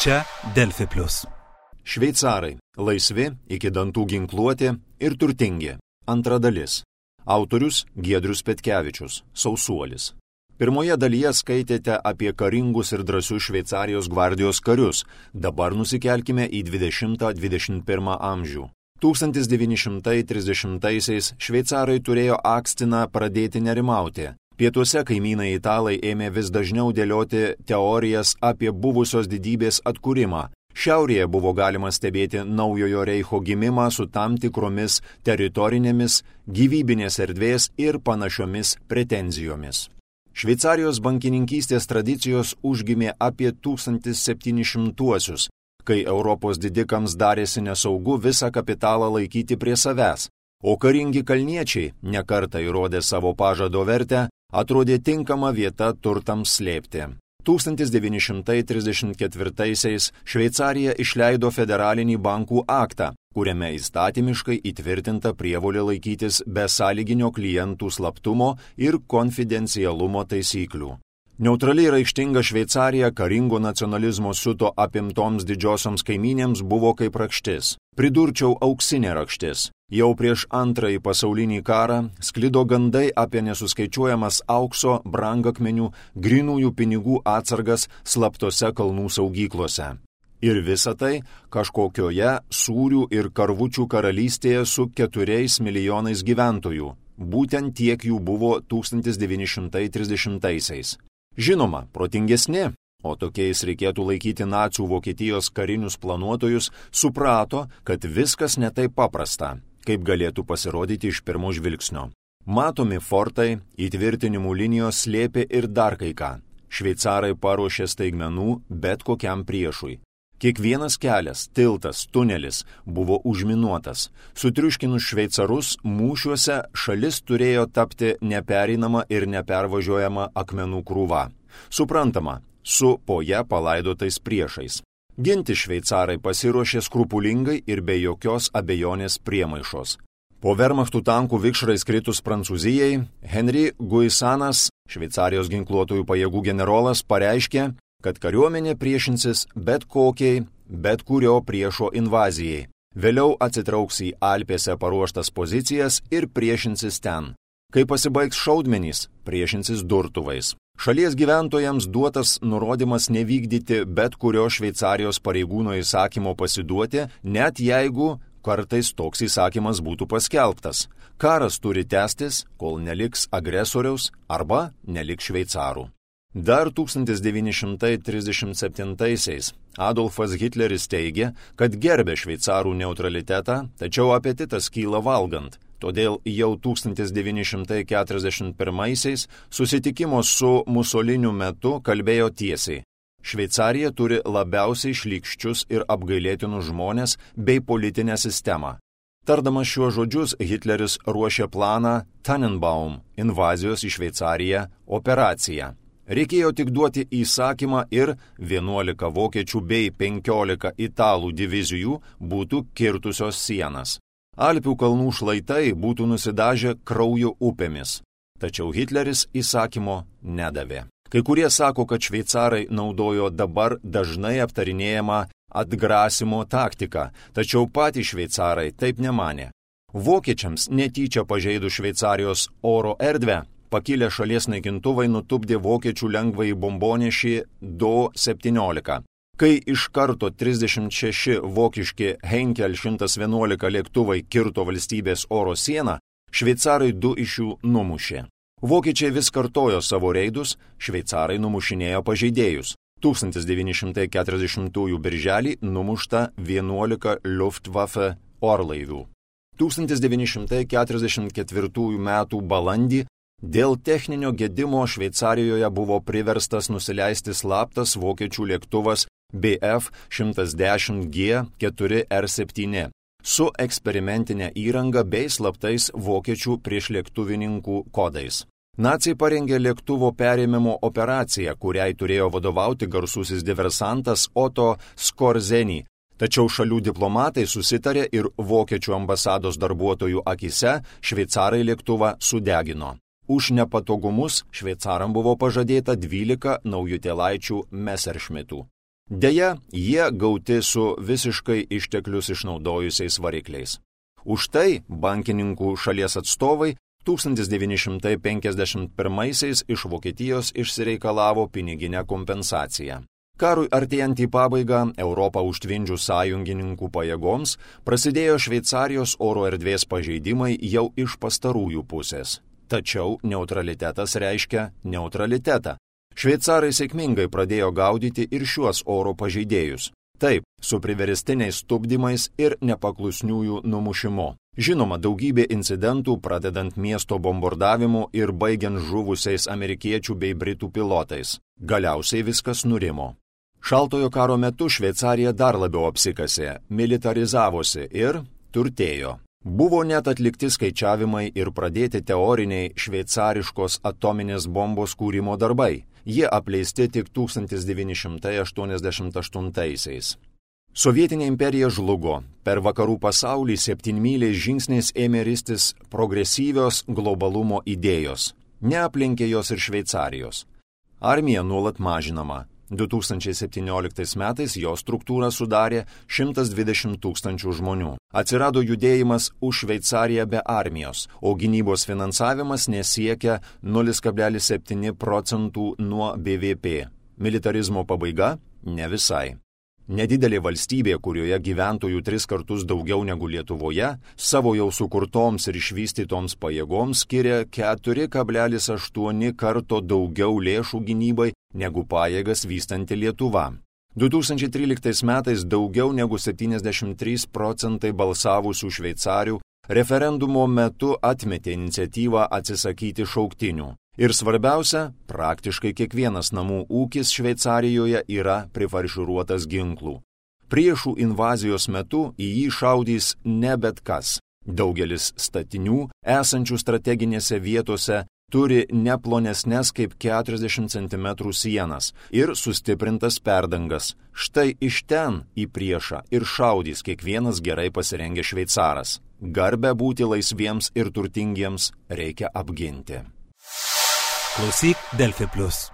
Čia Delfi Plius. Šveicarai – laisvi, iki dantų ginkluoti ir turtingi. Antra dalis. Autorius Giedrius Petkevičius, Sausuolis. Pirmoje dalyje skaitėte apie karingus ir drąsius Šveicarijos gvardijos karius. Dabar nusikelkime į 20-21 amžių. 1930-aisiais šveicarai turėjo akstiną pradėti nerimauti. Pietuose kaimynai italai ėmė vis dažniau dėlioti teorijas apie buvusios didybės atkūrimą. Šiaurėje buvo galima stebėti naujojo reicho gimimą su tam tikromis teritorinėmis, gyvybinės erdvės ir panašiomis pretenzijomis. Šveicarijos bankininkystės tradicijos užgimė apie 1700-uosius, kai Europos didikams darėsi nesaugu visą kapitalą laikyti prie savęs, o karingi kalniečiai, nekartą įrodė savo pažado vertę, atrodė tinkama vieta turtams slėpti. 1934-aisiais Šveicarija išleido federalinį bankų aktą, kuriame įstatymiškai įtvirtinta prievolė laikytis besąlyginio klientų slaptumo ir konfidencialumo taisyklių. Neutraliai raištinga Šveicarija karingo nacionalizmo siuto apimtoms didžiosioms kaimynėms buvo kaip rakštis. Pridurčiau auksinė rakštis. Jau prieš Antrąjį pasaulinį karą sklido gandai apie nesuskaičiuojamas aukso, brangakmenių, grynųjų pinigų atsargas slaptose kalnų saugyklose. Ir visa tai kažkokioje sūrių ir karvučių karalystėje su 4 milijonais gyventojų. Būtent tiek jų buvo 1930-aisiais. Žinoma, protingesni, o tokiais reikėtų laikyti nacių Vokietijos karinius planuotojus, suprato, kad viskas ne taip paprasta, kaip galėtų pasirodyti iš pirmo žvilgsnio. Matomi fortai, įtvirtinimų linijos slėpė ir dar kai ką. Šveicarai paruošė staigmenų bet kokiam priešui. Kiekvienas kelias, tiltas, tunelis buvo užminuotas. Sutriuškinus šveicarus, mūšiuose šalis turėjo tapti nepereinama ir nepervažiuojama akmenų krūva. Suprantama, su po ją palaidotais priešais. Ginti šveicarai pasiruošė skrupulingai ir be jokios abejonės priemaišos. Po Wehrmachtų tankų vikšrais kritus Prancūzijai, Henri Guisanas, Šveicarijos ginkluotojų pajėgų generolas, pareiškė, kad kariuomenė priešinsis bet kokiai, bet kurio priešo invazijai. Vėliau atsitrauks į Alpėse paruoštas pozicijas ir priešinsis ten. Kai pasibaigs šaudmenys, priešinsis durtuvais. Šalies gyventojams duotas nurodymas nevykdyti bet kurio Šveicarijos pareigūno įsakymo pasiduoti, net jeigu kartais toks įsakymas būtų paskelbtas. Karas turi tęstis, kol neliks agresoriaus arba neliks šveicarų. Dar 1937-aisiais Adolfas Hitleris teigė, kad gerbė šveicarų neutralitetą, tačiau apetitas kyla valgant. Todėl jau 1941-aisiais susitikimo su Musoliniu metu kalbėjo tiesiai. Šveicarija turi labiausiai šlykščius ir apgailėtinus žmonės bei politinę sistemą. Tardamas šiuos žodžius, Hitleris ruošė planą Tannenbaum – invazijos į Šveicariją operaciją. Reikėjo tik duoti įsakymą ir 11 vokiečių bei 15 italų divizijų būtų kirtusios sienas. Alpių kalnų šlaitai būtų nusidažę kraujo upėmis. Tačiau Hitleris įsakymo nedavė. Kai kurie sako, kad šveicarai naudojo dabar dažnai aptarinėjamą atgrasimo taktiką, tačiau patys šveicarai taip nemanė. Vokiečiams netyčia pažeidus Šveicarijos oro erdvę, pakilę šalies naikintuvai nutupdė vokiečių lengvąjį bombonešį Do-17. Kai iš karto 36 vokiški Heinkel 111 lėktuvai kirto valstybės oro sieną, šveicarai 2 iš jų numušė. Vokiečiai vis kartojo savo reidus, šveicarai numušinėjo pažeidėjus. 1940 birželį numušta 11 Luftwaffe orlaivių. 1944 metų balandį dėl techninio gedimo Šveicarijoje buvo priverstas nusileisti slaptas vokiečių lėktuvas Bf-110G-4R7 su eksperimentinė įranga bei slaptais vokiečių priešlėktuvininkų kodais. Naciai parengė lėktuvo perėmimo operaciją, kuriai turėjo vadovauti garsusis diversantas Otto Skorzeny. Tačiau šalių diplomatai susitarė ir vokiečių ambasados darbuotojų akise šveicarai lėktuvą sudegino. Už nepatogumus šveicaram buvo pažadėta 12 naujutėlaičių Messerschmittų. Deja, jie gauti su visiškai išteklius išnaudojusiais varikliais. Už tai bankininkų šalies atstovai 1951 iš Vokietijos išsireikalavo piniginę kompensaciją. Karui artėjant į pabaigą, Europą užtvindžius sąjungininkų pajėgoms, prasidėjo Šveicarijos oro erdvės pažeidimai jau iš pastarųjų pusės. Tačiau neutralitetas reiškia neutralitetą. Šveicarai sėkmingai pradėjo gaudyti ir šiuos oro pažeidėjus. Taip, su priverstiniais tupdymais ir nepaklusniųjų numušimu. Žinoma, daugybė incidentų, pradedant miesto bombardavimu ir baigiant žuvusiais amerikiečių bei britų pilotais. Galiausiai viskas nurimo. Šaltojo karo metu Šveicarija dar labiau apsikasė, militarizavosi ir turtėjo. Buvo net atlikti skaičiavimai ir pradėti teoriniai šveicariškos atominės bombos kūrimo darbai. Jie apleisti tik 1988-aisiais. Sovietinė imperija žlugo. Per vakarų pasaulį 7-myliais žingsniais ėmė ristis progresyvios globalumo idėjos. Neaplenkė jos ir Šveicarijos. Armija nuolat mažinama. 2017 metais jo struktūrą sudarė 120 000 žmonių. Atsirado judėjimas už Šveicariją be armijos, o gynybos finansavimas nesiekia 0,7% nuo BVP. Militarizmo pabaiga? Ne visai. Nedidelė valstybė, kurioje gyventojų 3 kartus daugiau negu Lietuvoje, savo jau sukurtoms ir išvystytoms pajėgoms skiria 4,8 karto daugiau lėšų gynybai negu pajėgas vystanti Lietuva. 2013 metais daugiau negu 73% balsavusių šveicarių referendumo metu atmetė iniciatyvą atsisakyti šauktinių. Ir svarbiausia, praktiškai kiekvienas namų ūkis Šveicarijoje yra prifarširuotas ginklų. Priešų invazijos metu į jį šaudys ne bet kas. Daugelis statinių, esančių strateginėse vietose, turi ne plonesnes kaip 40 cm sienas ir sustiprintas perdangas. Štai iš ten į priešą ir šaudys kiekvienas gerai pasirengęs šveicaras. Garbę būti laisviems ir turtingiems reikia apginti. Klausyk Delfi Plus.